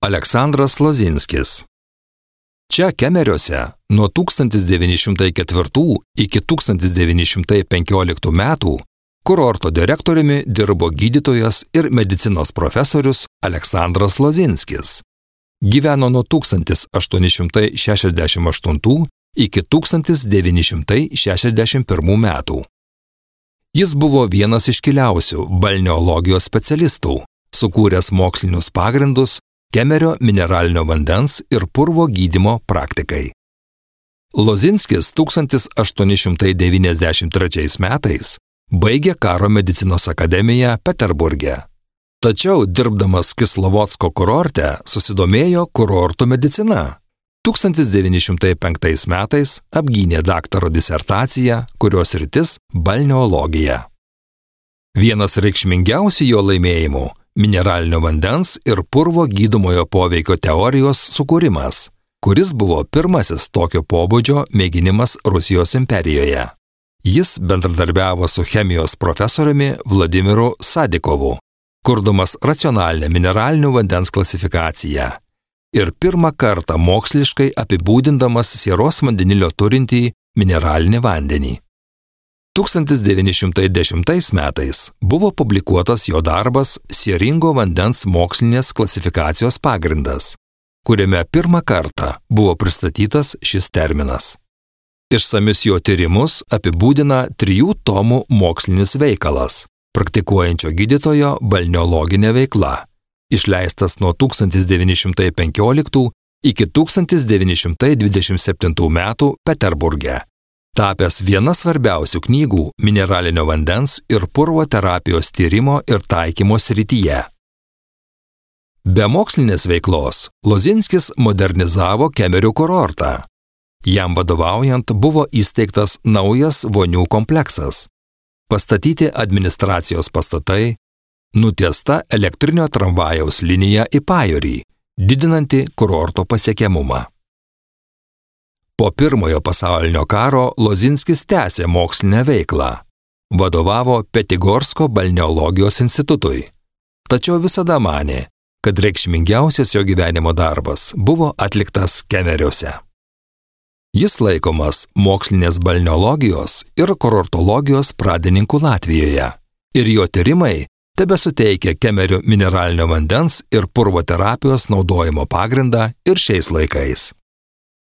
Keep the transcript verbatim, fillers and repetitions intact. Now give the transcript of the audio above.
Aleksandras Lozinskis. Čia Kemeriuose nuo tūkstantis devyni šimtai ketvirtų iki tūkstantis devyni šimtai penkioliktų metų kurorto direktoriumi dirbo gydytojas ir medicinos profesorius Aleksandras Lozinskis. Gyveno nuo tūkstantis aštuoni šimtai šešiasdešimt aštuntų iki tūkstantis devyni šimtai šešiasdešimt pirmų metų. Jis buvo vienas iškiliausių balneologijos specialistų, sukūręs mokslinius pagrindus Kemerio mineralinio vandens ir purvo gydymo praktikai. Lozinskis tūkstantis aštuoni šimtai devyniasdešimt trečiais metais baigė karo medicinos akademiją Peterburge. Tačiau dirbdamas Kislovodsko kurorte susidomėjo kurortų medicina. tūkstantis devyni šimtai penktais metais apgynė daktaro disertaciją, kurios sritis balneologija. Vienas reikšmingiausių jo laimėjimų – mineralinio vandens ir purvo gydomojo poveikio teorijos sukūrimas, kuris buvo pirmasis tokio pobūdžio mėginimas Rusijos imperijoje. Jis bendradarbiavo su chemijos profesoriumi Vladimiru Sadikovu, kurdamas racionalinę mineralinio vandens klasifikaciją ir pirmą kartą moksliškai apibūdindamas sieros vandenilio turintį mineralinį vandenį. tūkstantis devyni šimtai dešimtais metais buvo publikuotas jo darbas Sieringo vandens mokslinės klasifikacijos pagrindas, kuriame pirmą kartą buvo pristatytas šis terminas. Išsamius jo tyrimus apibūdina trijų tomų mokslinis veikalas – praktikuojančio gydytojo balneologinė veikla, išleistas nuo tūkstantis devyni šimtai penkioliktų iki tūkstantis devyni šimtai dvidešimt septintų metų Peterburge, tapęs viena svarbiausių knygų mineralinio vandens ir purvo terapijos tyrimo ir taikymo srityje. Be mokslinės veiklos Lozinskis modernizavo Kemerio kurortą. Jam vadovaujant buvo įsteigtas naujas vonių kompleksas, pastatyti administracijos pastatai, nutiesta elektrinio tramvajaus linija į pajūrį, didinanti kurorto pasiekiamumą. Po pirmojo pasaulinio karo Lozinskis tęsė mokslinę veiklą. Vadovavo Petigorsko balneologijos institutui. Tačiau visada manė, kad reikšmingiausias jo gyvenimo darbas buvo atliktas Kemeriuose. Jis laikomas mokslinės balneologijos ir kurortologijos pradininku Latvijoje ir jo tyrimai tebesuteikia Kemerio mineralinio vandens ir purvo terapijos naudojimo pagrindą ir šiais laikais.